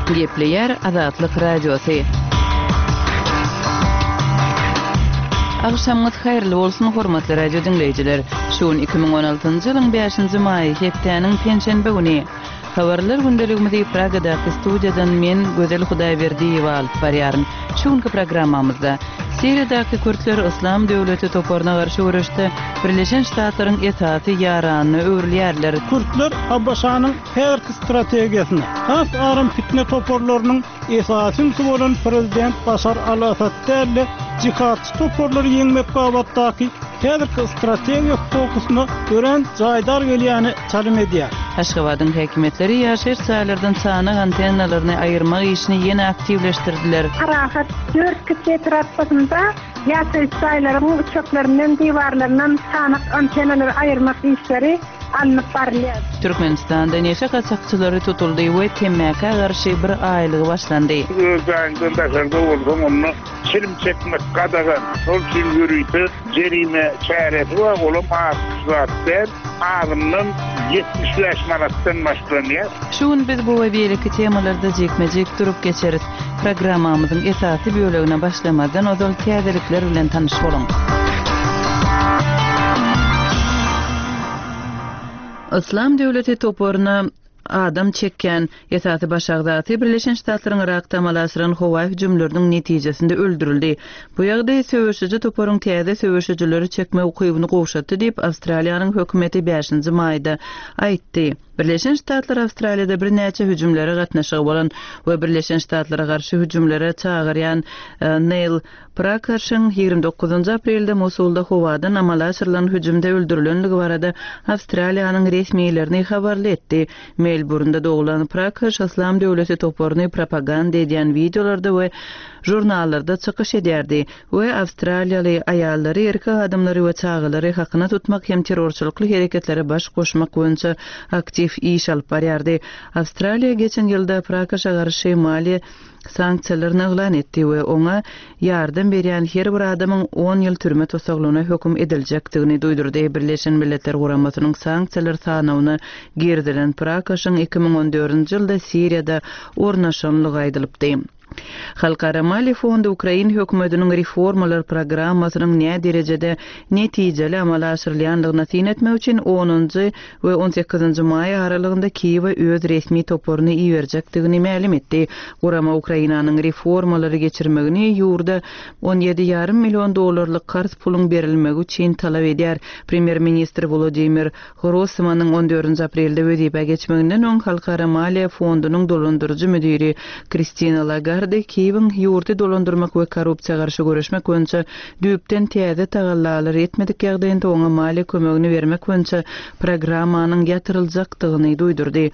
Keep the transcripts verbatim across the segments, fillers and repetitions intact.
Gepleýär Azatlyk Radiosy. Agşamyňyz haýyrly bolsun, hormatly radio diňleýjiler! Şu gün iki müň on altynjy ýylyň bäşinji maýy, hepdäniň penşenbe güni. Habarlar gündeligimizi Pragadaky studiýadan men, Gözel Hudaýberdiýewa alyp barýaryn. Şu günki programmamyzda, Siriýadaky kürtler Yslam döwleti toparyna garşy göreşde Birleşen Ştatlaryň esasy ýaranyna öwrülýärler. Kürtler ABŞ-nyň häzirki strategiýasyna, has aram pitne toparlarynyň esasy ünsi bolan prezident Başar al-Assad däl-de, jihadçy toparlary ýeňmek babatdaky häzirki strategiýa fokusyna örän jaýdar gelýäne çalym edýär. Aşgabadyň häkimiýetleri ýaşaýyş jaýlardan çanak antennalaryny aýyrmak işini ýene aktiwleşdirdiler. Parahat dört kiçi etrapçasynda ýaşaýyş jaýlaryň üçeklerinden, diwarlaryndan çanak antennalary aýyrmak işleri alnyp barylýar. Türkmenistanda neşe gaçakçylary tutuldy we temmäkä garşy bir aýlygy başlandy. Öz jaýyňdan daşarda bolsaň, onda çilim çekmek gadagan. Şol üçin ýörite jerime çäresi bar, olam az zat däl, azyndan ýetmiş bäş manatdan başlanýar. Şu gün biz bu we beýleki temalarda jikme-jik durup geçeris. Programmamyzyň esasy bölegine başlamazdan ozal täzelikler bilen tanyş boluň. Yslam döwleti toparyna adam çekýän esasy baş agzasy Birleşen Ştatlaryň Yrakda amala aşyran howa hüjümleriniň netijesinde öldürildi. Bu ýagdaý söweşiji toparyň täze söweşijileri çekme ukybyny gowşatdy diýip, Awstraliýanyň hökümeti bäşinji maýda aýtdy. Birleşen Ştatlar Awstraliýada birnäçe hüjümlere gatnaşygy bolan we Birleşen Ştatlara garşy hüjümlere çagyrýan, e, Neil Prakaşyň ýigrimi dokuzynjy aprelde Mosulda howadan amala aşyrylan hüjümde öldürilenligi barada Awstraliýanyň resmilerini habarly etdi. Melburnda doglan Prakaş Yslam döwleti toparyny propaganda edýän wideolarda we žurnallarda çykyş edýärdi we awstraliýaly aýallary, erkek adamlary we çagalary hakyna tutmak hem terrorçylykly hereketlere baş goşmak boýunça aktiw iş alyp barýardy. Awstraliýa geçen ýylda Prakaşa garşy maliýe sanksiýalaryny yglan etdi we oňa ýardam berýän her bir adamyň on ýyl türme tusaglygyna höküm ediljekdigini duýdurdy. Birleşen Milletler Guramasynyň sanksiýalar sanawyna girizilen Prakaşyň iki müň on dördünji ýylda Siriýada ornaşanlygy aýdylypdy. Halkara Maliýe Fondy Ukrain hökümetiniň reformalar programmasynyň nä derejede netijeli amala aşyrylýandygyna syn etmek üçin onunjy we on sekizinji maý aralygynda Kiýewe öz resmi toparyny iberjekdigini mälim etdi. Gurama Ukrainanyň reformalary geçirmegini ýurda on ýedi ýarym million dollarlyk karz puluň berilmegi üçin talap edýär. Premýer-ministr Volodymyr Grossmanyň on dördünji aprelde wezipä geçmeginden öň Halkara Maliýe Fondunyň dolandyryjy müdiri Kristina Lagarde Kiýewiň ýurdy dolandyrmak we korrupsiýa garşy göreşmek boýunça düýpden täze tagallalary etmedik ýagdaýynda oňa maliýe kömegini bermek boýunça programmanyň ýatyryljakdygyny duýdurdy.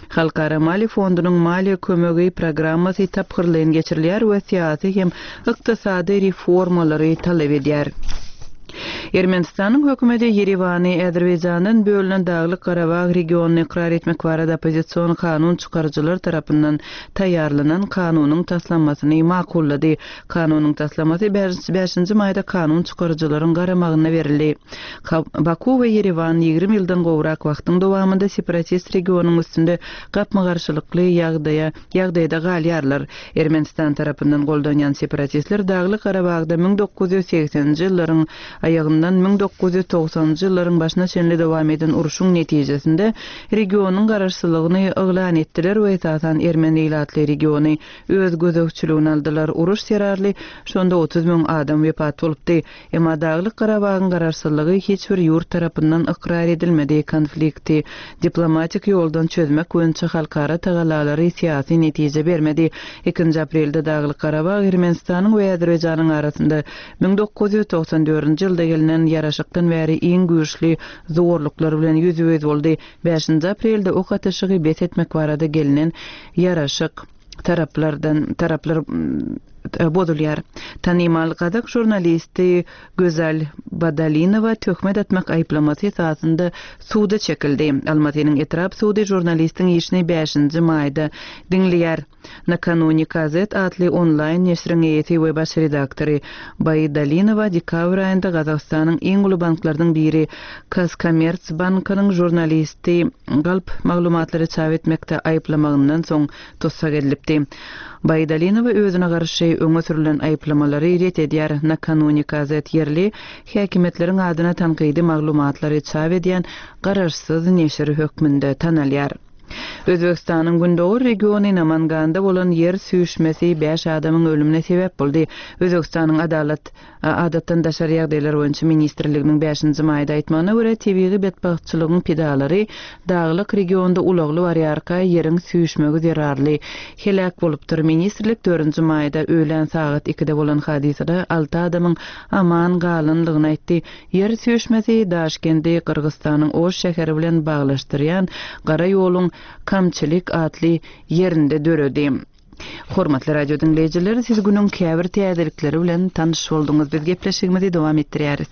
Halkara Maliýe Fondunyň maliýe kömegi programmasy tapgyrlaýyn geçirilýär we syýasy hem ykdysady reformalary talap edýär. Ermenistanyň hökümeti Ýerewany Azerbaýjandan bölünen Daglyk Garabag regionyny ykrar etmek barada oppozision kanun çykaryjylar tarapyndan taýýarlanan kanunyň taslamasyny makullady. Kanunyň taslamasy bäşinji maýda kanun çykaryjylaryň garamagyna berildi. Ka-, Baku we Ýerewan ýigrimi ýyldan gowrak wagtyň dowamynda separatist regionyň üstünde gapma-garşylykly ýagdaýa, ýagdaýda galýarlar. Ermenistan tarapyndan goldanýan separatistler Daglyk Garabagda müň dokuz ýüz segseninji ýyllaryň aýagyndan müň dokuz ýüz togsanynjy ýyllaryň başyna çenli dowam eden urşuň netijesinde regionyň garaşsyzlygyny yglan etdiler we esasan Ermeni ilatly regiony öz gözegçiligine aldylar. Uruş zerarly şonda otuz müň adam wepat bolupdy. Emma Daglyk Garabagyň garaşsyzlygy hiç bir ýurt tarapyndan ykrar edilmedi. Konflikti diplomatik ýoldan çözmek boýunça halkara tagallalary syýasy netije bermedi. Ikinji aprelde Daglyk Garabag Ermenistanyň we Azerbaýjanyň arasynda müň dokuz ýüz togsan dördünji ýylda gelinen ýaraşykdan bäri iň güýçli zorluklar bilen ýüzbe-ýüz boldy. Bäşinji aprelde ok atyşygy bes etmek barada gelinen ýaraşyk taraplardan taraplar, mm, bozulýar. Tanymal gazak žurnalisti Gözel Badalinowa töhmet atmak aýyplamasy esasynda suda çekildi. Almatynyň etrap sudy žurnalistiň işini bäşinji maýda diňleýär. Nakanuni KZ atly onlaýn neşiriň eýesi we baş redaktory Baýdalinowa dekabr aýynda Gazagystanyň iň uly banklarynyň biri Kazkommertsbankynyň žurnalisti galp maglumatlary çap etmekde aýyplamagyndan soň tussag edilipdi. Baýdalinowa özüne garşy öňe sürülen aýyplamalary ret edýär. Nakanuni KZ ýerli häkimiýetleriň adyna tankydy maglumatlary çap edýän garaşsyz neşir hökmünde tanalýar. Özbegistanyň gündogar regiony Namanganda bolan ýer süýşmesi bäş adamyň ölümine sebäp boldy. Özbegistanyň Adalat adatdan daşary ýagdaýlar boýunça ministrliginiň bäşinji maýda aýtmagyna görä, tebigy betbagtçylygyň pidalary daglyk regionda ulagly barýarka ýeriň süýşmegi zerarly heläk bolupdyr. Ministrlik dördünji maýda öýlän sagat ikide bolan hadysada alty adamyň aman galandygyny aýtdy. Ýer süýşmesi Daşkendi Gyrgyzystanyň Oş şäheri bilen baglaşdyrýan gara ýoluň Kamçylyk atly ýerinde döredi. Hormatly radio diňleýjiler, siz günüň käbir täzelikleri bilen tanyş bolduňyz. Biz gepleşigimizi dowam etdirýäris.